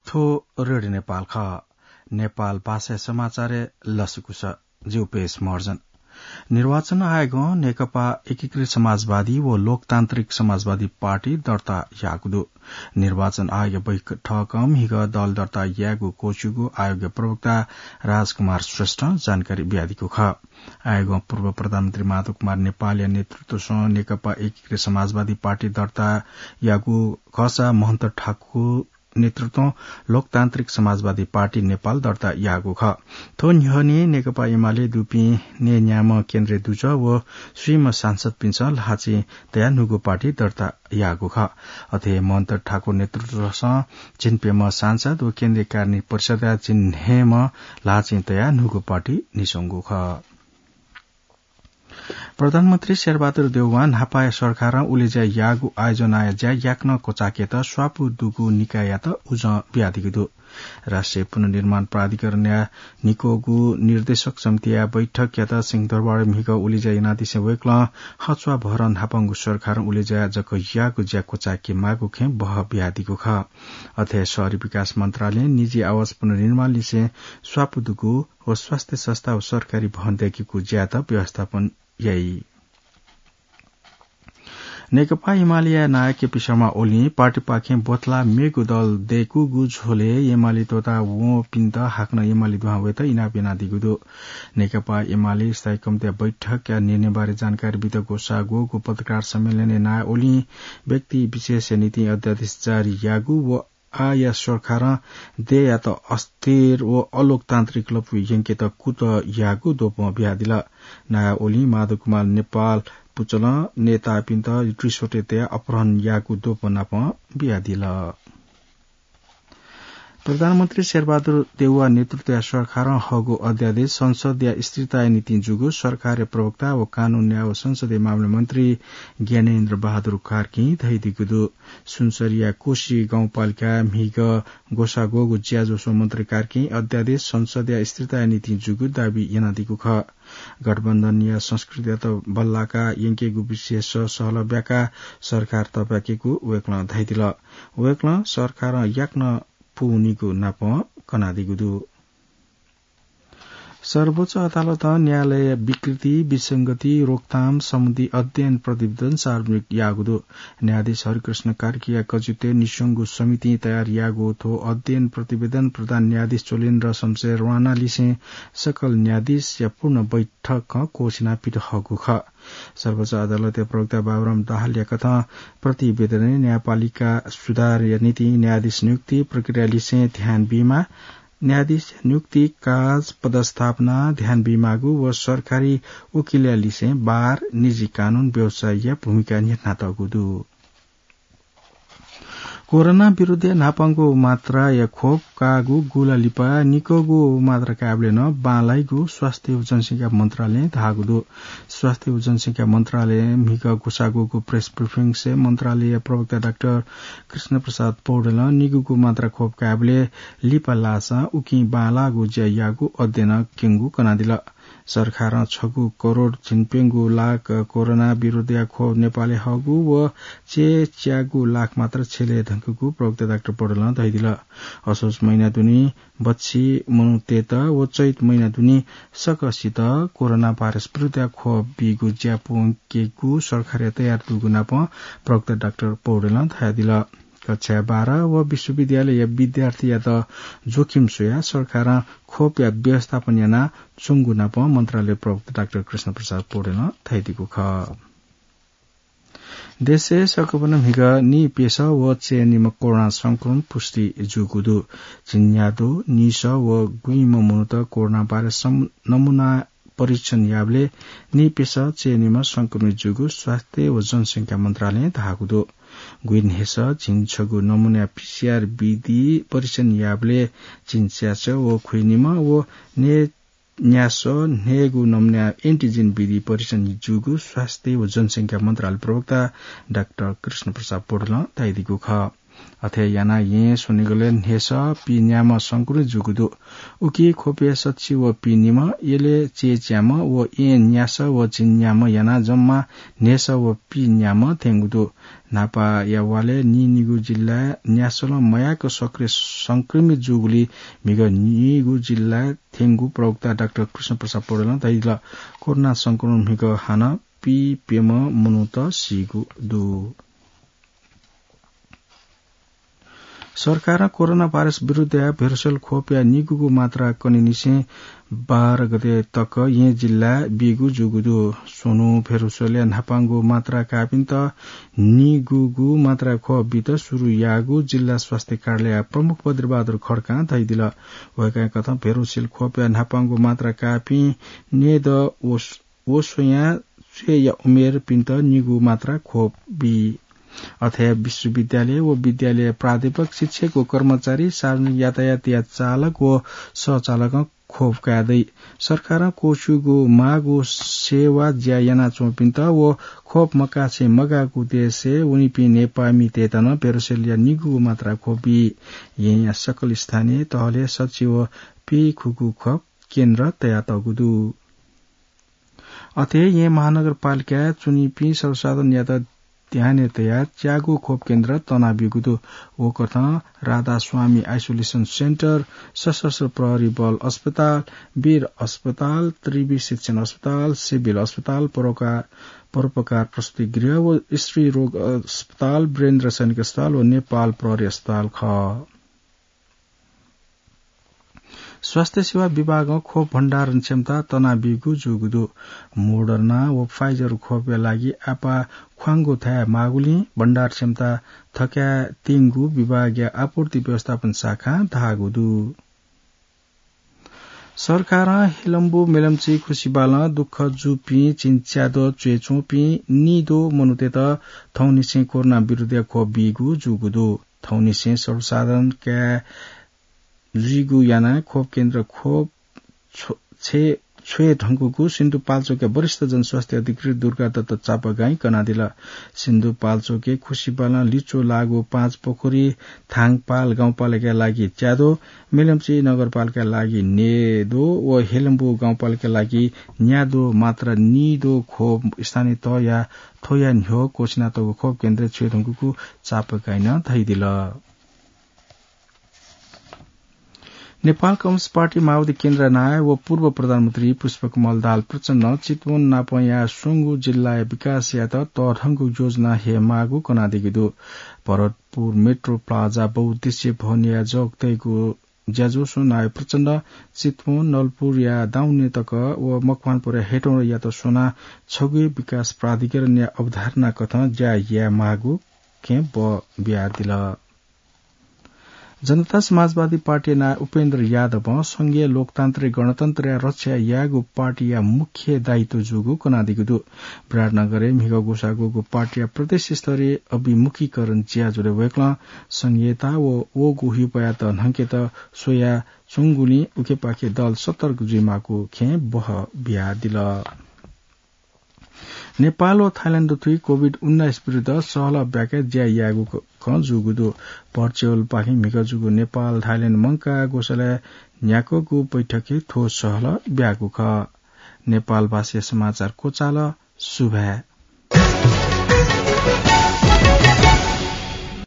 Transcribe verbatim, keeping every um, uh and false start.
थ्व रेडियो नेपाल खः। नेपाल भाषाया समाचारय् लसकुस। जिगु पेश महर्जन। निर्वाचन आयोगं नेकपा एकीकृत समाजवादी व लोकतान्त्रिक समाजवादी पार्टी दर्ता याःगु दु। निर्वाचन आयोगया बैठकं म्हिगः दल दर्ता यायेगु क्वःछिउगु आयोगया प्रवक्ता राजकुमार श्रेष्ठं जानकारी बियादीगु खः। आयोगं पूर्व प्रधानमन्त्री माधव कुमार नेपालया नेतृत्वसं नेकपा एकीकृत समाजवादी पार्टी दर्ता याःगु खःसा महन्त ठाकुर नेतृत्वं लोकतान्त्रिक समाजवादी पार्टी नेपाल दर्ता याःगु खः। थ्व न्ह्यःने नेकपा एमाले दुपिं नयेन्याम्ह केन्द्रीय दुजः व स्वीम्ह सांसदपिन्सं ल्हाःचिं तयाः न्हूगु पार्टी दर्ता याःगु खः। अथे हे महन्त ठाकुर नेतृत्वसं झिंप्यम्ह सांसद व केन्द्रीय कार्यान्वयन परिषदया झिंन्हय्म्ह ल्हाःचिं तयाः न्हूगु पार्टी न्ह्यसंगु खः। प्रधानमन्त्री शेरबहादुर देउवां न्हापाया सरकारं उलेज्या याःगु आयोजनाया ज्या याकनं क्वचाकेत स्वापू दुगु निकाययात उजं बियादीगु दु। राष्ट्रिय पुनर्निर्माण प्राधिकरणया निक्वःगु निर्देशक समितिया बैठकयात सिंहदरबारय् म्हिगः उलेज्या यानादिसें वय्कलं हच्वाभरं न्हापांगु सरकारं उलेज्या जक याःगु ज्या क्वचाके माःगु खँय् बह बियादीगु खः। अथे हे शहरी विकास मन्त्रालयं निजी आवास पुनर्निर्माणलिसें स्वापू दुगु व स्वास्थ्य संस्था व सरकारी भवन दय्केगु ज्यायात व्यवस्थापन याइ। नेकपा एमालेया नायः केपी शर्मा ओलीं पार्टीपाखें ब्वथला मेगु दल दय्कूगु झ्वलय् एमाले त्वःता वंपिन्त हाकनं एमाले दुहां वयेत इनाप यानादीगु दु। नेकपा एमाले स्थायी कमिटीया बैठकया निर्णयबारे जानकारी बीत ग्वसाः ग्वःगु पत्रकार सम्मेलनय् नायः ओलीं व्यक्ति विशेषया निंतिं अध्यादेश जारी याःगु व आःया सरकारं देय्‌यात अस्थिर व अलोकतान्त्रिक लँपुइ यंकेत कुतः याःगु द्वपं बियादिल। नायः ओलीं माधव कुमार नेपाल पुचलं नेतापिन्त रिसोर्टय् तयाः अपहरण याःगु द्वपं नापं बियादिल। प्रधानमन्त्री शेरबहादुर देउवा नेतृत्वया सरकारं हःगु अध्यादेश संसदया स्थिरताया निंतिं जूगु सरकारया प्रवक्ता व कानून, न्याय व संसदीय मामला मन्त्री ज्ञानेन्द्र बहादुर कार्कीं धयादीगु दु। सुनसरीया कोशी गाउँपालिकाय् म्हिगः ग्वसाः ग्वःगु ज्याझ्वलय् मन्त्री कार्कीं अध्यादेश संसदया स्थिरताया निंतिं जूगु दाबी यानादीगु खः। गठबन्धनया संस्कृतियात बल्लाका यंकेगु विषयय् सहलह ब्याकाः सरकार तःब्याकेगु वय्कलं धयादिल। वय्कलं सरकारं याकनं पूवनीगु नापं कनादीगु दु। सर्वोच्च अदालतं न्यायालय विकृति, विसंगति रोकथाम सम्बन्धी अध्ययन प्रतिवेदन सार्वजनिक याःगु दु। न्यायाधीश हरिकृष्ण कार्कीया कजित्वय् निस्वंगु समितिं तयार याःगु थ्व अध्ययन प्रतिवेदन प्रधान न्यायाधीश चोलेन्द्र शमशेर राणालिसें सकल न्यायाधीशया पूर्ण बैठकं क्वःछिना पित हःगु खः। सर्वोच्च अदालतया प्रवक्ता बाबुराम दाहालया कथं प्रतिवेदनय् न्यायपालिका सुधारया निंतिं न्यायाधीश नियुक्ति प्रक्रियालिसें ध्यान बीमाः, न्यायाधीश नियुक्ति काज पदस्थापना ध्यान बीमाःगु व सरकारी वकिलया लिसें बार, निजी कानून व्यवसायया भूमिका न्ह्यथनातःगु दु। कोरोना विरुद्धया न्हापांगु मात्राया खोप काःगु गुला लिपा निक्वःगु मात्रा कायेबलय् नं बांलाइगु स्वास्थ्य व जनसंख्या मन्त्रालयं धाःगु दु। स्वास्थ्य व जनसंख्या मन्त्रालयं म्हिगः ग्वसाः ग्वःगु प्रेस ब्रिफिंसय् मन्त्रालयया प्रवक्ता डाक्टर कृष्ण प्रसाद पौडेलं निगूगु मात्रा खोप कायेबलय् लिपा लाःसां उकिं बांलाःगु ज्या याःगु अध्ययनं क्यंगु कनादिल। सरकारं छगू करोड झिंप्यंगू लाख कोरोना विरुद्धया खोप नेपालय् हःगु व चय्च्यागू लाख मात्रा छ्यलय् धंकूगु प्रवक्ता डाक्टर पौडेलं धयादिल। असोज महिना दुने बच्छि मनूतय्त व चैत महिना दुने सकसित कोरोना भाइरस विरुद्धया खोप बीगु ज्या पूवंकेगु सरकारया तयार दुगु नापं प्रवक्ता डाक्टर पौडेलं धयादिल। कक्षा बाह्र व विश्वविद्यालयया विद्यार्थीयात जोखिम स्वयाः सरकारं खोपया व्यवस्थापन यानाच्वंगु नापं मन्त्रालय प्रवक्ता डाक्टर कृष्ण प्रसाद पौडेलं धयादीगु खः। देशय् सकभनं म्हिगः नीप्यसः व चय्निम्ह कोरोना संक्रमण पुष्टि जूगु दु। झिंन्यादँ नीसः व गुइम्ह मनूत कोरोना भाइरस सं-, नमूना परीक्षण याःबलय् नीप्यसः चय्निम्ह संक्रमित जूगु स्वास्थ्य व जनसंख्या मन्त्रालयं धाःगु दु। गुइन्हय्सः झिंछगू नमूनाया पीसीआर विधि परीक्षण याःबलय् झिंच्यासः व खुइनिम्ह व नय् न्यासः न्हय्गू नमूनाया एन्टिजेन विधि परीक्षण जूगु स्वास्थ्य व जनसंख्या मन्त्रालय प्रवक्ता डाक्टर कृष्ण प्रसाद पौडेलं धयादीगु खः। अथे यानाः यें स्वनिगलय् न्हेसः पीन्याम्ह संक्रमित जूगु दु। उकी ख्वपय् सच्छि व पीनिम्ह, यलय् चय्च्याम्ह व यें न्यासः व झिंन्याम्ह यानाः जम्मा न्हेसः व पीन्याम्ह थ्यंगु दु। न्हापाया वालय् नीनिगू जिल्लाय् न्यासलं मयाक सक्रिय संक्रमित जूगुलिं म्हिगः नीगू जिल्लाय् थ्यंगु प्रवक्ता डाक्टर कृष्ण प्रसाद पौडेलं धयादिल। कोरोना संक्रमणं म्हिगः हानं पीप्यम्ह मनूत सीगु दु। सरकारं कोरोना भाइरस विरुद्धया भेरोसेल खोपया निगूगु मात्रा कनेनिसें बाह्र गते तक येँ जिल्लाय् बीगु जूगु दु। स्वन्हु भेरोसेलया न्हापांगु मात्रा काःपिन्त निगूगु मात्रा खोप बीत सुरु याःगु जिल्ला स्वास्थ्य कार्यालय प्रमुख बद्रीबहादुर खड्कां धयादिल। वय्कःया कथं भेरोसेल खोपया न्हापांगु मात्रा काःपिं न्यय्दँ व व स्वयां च्वय्या उमेरपिन्त निगू मात्रा खोप बी। अथे विश्वविद्यालय व विद्यालय प्राध्यापक, शिक्षक व कर्मचारी, सार्वजनिक यातायातया चालक व सहचालकं खोप काये दइ। सरकारं क्वःछिउगु माःगु सेवा ज्या यानाच्वंपिन्त व खोप मकासे मगाःगु देशय् वनीपिं नेपाःमितय्त नं भेरोसेलया निगूगु मात्रा खोप बी। येँया सकल स्थानीय तहलय् सच्छि व पीखुगू खोप केन्द्र तयातःगु दु। अथे येँ महानगरपालिकाय् च्वनीपिं सर्वसाधारणयात ध्यानय् तयाः च्यागू खोप केन्द्र तनाबीगु दु। व कथं राधास्वामी आइसोलेसन सेन्टर, सशस्त्र प्रहरी बल अस्पताल, वीर अस्पताल, त्रिवि शिक्षण अस्पताल, सिभिल अस्पताल, परोका-, परोपकार प्रसूति गृह व स्त्री रोग अस्पताल, वीरेन्द्र सैनिक अस्पताल व नेपाल प्रहरी अस्पताल खः। स्वास्थ्य सेवा विभागं खोप भण्डारण क्षमता तनाबीगु जूगु दु। मोडर्ना व फाइजर खोपया लागि आपाः ख्वांगु थाय् माःगुलिं भण्डार क्षमता थकाय् तिंगु विभागया आपूर्ति व्यवस्थापन शाखां धाःगु दु। सरकारं हेलम्बु, मेलम्ची, खुसिबालं दुःख जूपिं चिंच्याद्वः च्वय् च्वंपिं निद्वः मनूतय्त थौंनिसें कोरोना विरुद्धया खोप बीगु जूगु दु। थौंनिसें सर्वसाधारण काय् जुइगु यानाः खोप केन्द्र खोप छ्व-, छे-, छ्वये धुंकूगु सिन्धुपाल्चोकया वरिष्ठ जनस्वास्थ्य अधिकृत दुर्गादत्त चापागाईं कनादिल। सिन्धुपाल्चोकय् खुसिबालं लिच्वः लाःगु पाँचपोखरी थाङपाल गाउँपालिकाया लागि च्याद्वः, मेलम्ची नगरपालिकाया लागि न्यय्द्वः व हेलम्बु गाउँपालिकाया लागि न्याद्वः मात्रा निद्वः खोप स्थानीय तहया थ्वया न्ह्यः क्वःछिनातःगु खोप केन्द्रय् छ्वये धुंकूगु चापागाईं धयादिल। नेपाल कम्युनिस्ट पार्टी माओवादी केन्द्रया नायः व पूर्व प्रधानमन्त्री पुष्पकमल दाहाल प्रचण्डं चितवन नापंया स्वंगू जिल्लाया विकास यायेत तःधंगु योजना हयेमाःगु कनादीगु दु। भरतपुर मेट्रो प्लाजा बहुउद्देश्य भवनया जग तयेगु ज्याझ्वलय् नायः प्रचण्डं चितवन, नलपुरया दाउने तक व मकवानपुरया हेटौंडायात स्वनाः छगू विकास प्राधिकरणया अवधारणा कथं ज्या यायेमाःगु खँय् बः बियादिल। जनता समाजवादी पार्टीया नायः उपेन्द्र यादवं संघीय लोकतान्त्रिक गणतन्त्रया रक्षा यायेगु पार्टीया मुख्य दायित्व जूगु कनादीगु दु। विराटनगरय् म्हिगः ग्वसाः ग्वःगु पार्टीया प्रदेश स्तरीय अभिमुखीकरण ज्याझ्वलय् वय्कलं संघीयता व वःगु ह्युपायात न्हंकेत स्वयाच्वंगुलिं उखेपाखे दल सतर्क जुइमाःगु खँय् बः बियादिल। नेपाल व थाइल्याण्ड दथुइ कोभिड उन्नाइस विरुद्ध सहलह ब्याके ज्या यायेगु क-, खँ जूगु दु। भर्चुअलपाखें म्हिगः जूगु नेपाल थाइल्याण्ड मंकाः ग्वसालय् न्ह्याकःगु बैठकय् थ्व सहलह ब्याःगु खः। नेपालभाषाया समाचार क्वचाल। सुभाय्।